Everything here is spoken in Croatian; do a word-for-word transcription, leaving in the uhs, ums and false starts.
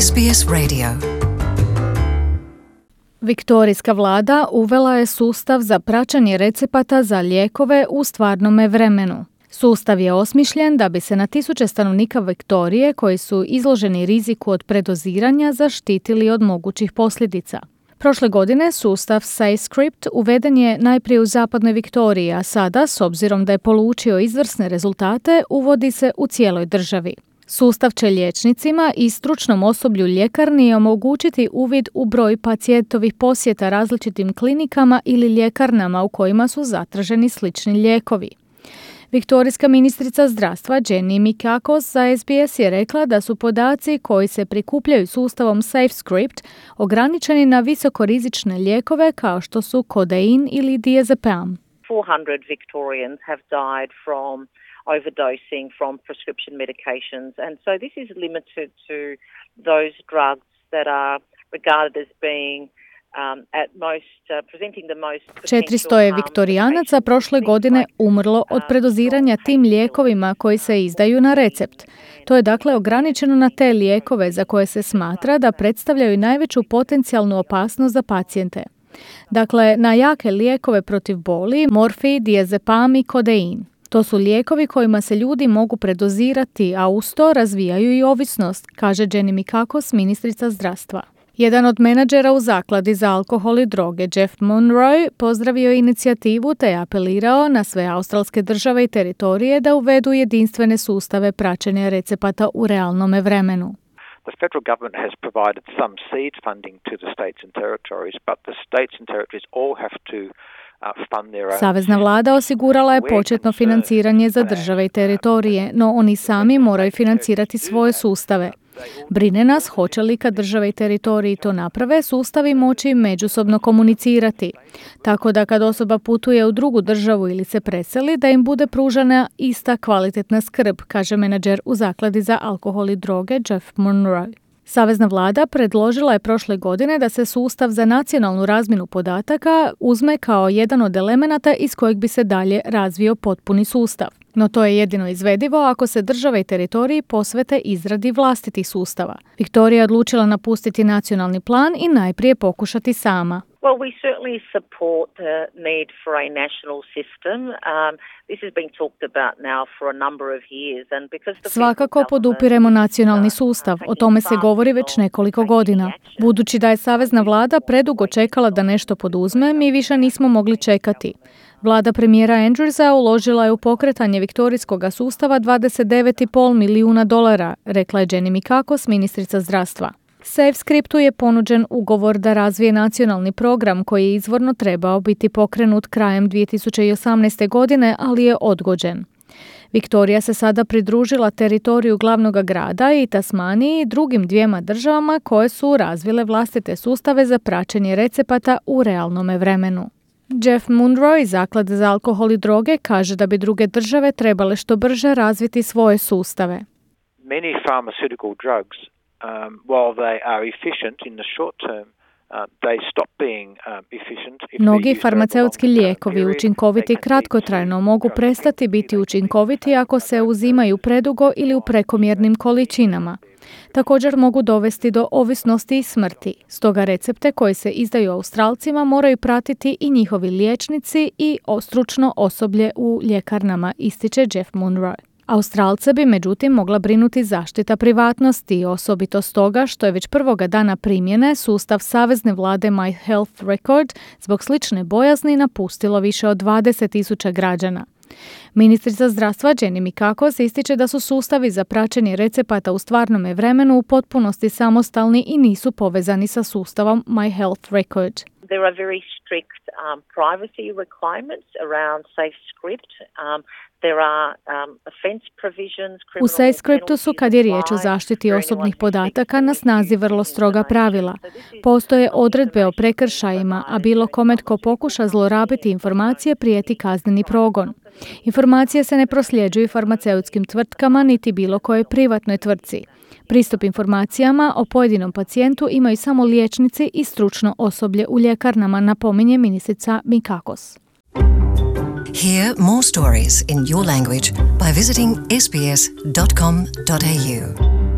S B S Radio. Viktorijska vlada uvela je sustav za praćenje recepata za lijekove u stvarnome vremenu. Sustav je osmišljen da bi se na tisuće stanovnika Viktorije koji su izloženi riziku od predoziranja zaštitili od mogućih posljedica. Prošle godine sustav SafeScript uveden je najprije u zapadnoj Viktoriji, a sada, s obzirom da je polučio izvrsne rezultate, uvodi se u cijeloj državi. Sustav će liječnicima i stručnom osoblju ljekarni omogućiti uvid u broj pacijentovih posjeta različitim klinikama ili ljekarnama u kojima su zatraženi slični lijekovi. Viktorijska ministrica zdravstva Jenny Mikakos za S B S je rekla da su podaci koji se prikupljaju sustavom SafeScript ograničeni na visokorizične lijekove kao što su kodein ili diazepam. four hundred Victorians have died from overdosing from prescription medications, and so this is limited to those drugs that are regarded as being Um, at most, uh, presenting the most četiristo je Viktorijanaca prošle godine umrlo od predoziranja tim lijekovima koji se izdaju na recept. To je dakle ograničeno na te lijekove za koje se smatra da predstavljaju najveću potencijalnu opasnost za pacijente. Dakle, na jake lijekove protiv boli, morfij, diazepam i kodein. To su lijekovi kojima se ljudi mogu predozirati, a uz to razvijaju i ovisnost, kaže Jenny Mikakos, ministrica zdravstva. Jedan od menadžera u zakladi za alkohol i droge, Jeff Monroe, pozdravio je inicijativu te je apelirao na sve australske države i teritorije da uvedu jedinstvene sustave praćenja recepata u realnome vremenu. The federal government has provided some seed funding to the states and territories, but the states and territories all have to Savezna vlada osigurala je početno financiranje za države i teritorije, no oni sami moraju financirati svoje sustave. Brine nas hoće li kad države i teritoriji to naprave, sustavi moći međusobno komunicirati. Tako da kad osoba putuje u drugu državu ili se preseli, da im bude pružana ista kvalitetna skrb, kaže menadžer u zakladi za alkohol i droge Jeff Monroe. Savezna vlada predložila je prošle godine da se sustav za nacionalnu razmjenu podataka uzme kao jedan od elemenata iz kojeg bi se dalje razvio potpuni sustav. No to je jedino izvedivo ako se države i teritoriji posvete izradi vlastitih sustava. Viktorija je odlučila napustiti nacionalni plan i najprije pokušati sama. Well, we certainly support the need for a national system. Um, this has been talked about now for a number of years, and because the Svakako podupiremo nacionalni sustav. O tome se govori već nekoliko godina. Budući da je savezna vlada predugo čekala da nešto poduzme, mi više nismo mogli čekati. Vlada premijera Andrewsa uložila je u pokretanje viktorijskog sustava dvadeset devet zarez pet milijuna dolara, rekla je Jenny Mikakos, ministrica zdravstva. SafeScriptu je ponuđen ugovor da razvije nacionalni program koji je izvorno trebao biti pokrenut krajem dvije tisuće osamnaeste. godine, ali je odgođen. Viktorija se sada pridružila teritoriju glavnog grada i Tasmaniji i drugim dvijema državama koje su razvile vlastite sustave za praćenje recepata u realnome vremenu. Jeff Monroe iz zaklade za alkohol i droge kaže da bi druge države trebale što brže razviti svoje sustave. Many pharmaceutical drugs, um, while they are efficient in the short term, uh, they stop being um, efficient. Mnogi farmaceutski lijekovi učinkoviti kratkotrajno mogu prestati biti učinkoviti ako se uzimaju predugo ili u prekomjernim količinama. Također mogu dovesti do ovisnosti i smrti. Stoga recepte koji se izdaju Australcima moraju pratiti i njihovi liječnici i stručno osoblje u ljekarnama, ističe Jeff Monroe. Australce bi međutim mogla brinuti zaštita privatnosti, osobito stoga što je već prvoga dana primjene sustav savezne vlade My Health Record zbog slične bojazni napustilo više od dvadeset tisuća građana. Ministrica zdravstva Jenny Mikakos ističe da su sustavi za praćenje recepata u stvarnome vremenu u potpunosti samostalni i nisu povezani sa sustavom My Health Record. There are very strict um, privacy requirements around SafeScript. Um, there are um, offense provisions. U SafeScriptu su, kad je riječ o zaštiti osobnih podataka, na snazi vrlo stroga pravila. Postoje odredbe o prekršajima, a bilo kome tko pokuša zlorabiti informacije prijeti kazneni progon. Informacije se ne prosljeđuju farmaceutskim tvrtkama niti bilo kojoj privatnoj tvrtci. Pristup informacijama o pojedinom pacijentu imaju samo liječnici i stručno osoblje u ljekarnama, napominje ministrica Mikakos. Hear more stories in your language by visiting s b s dot com dot a u.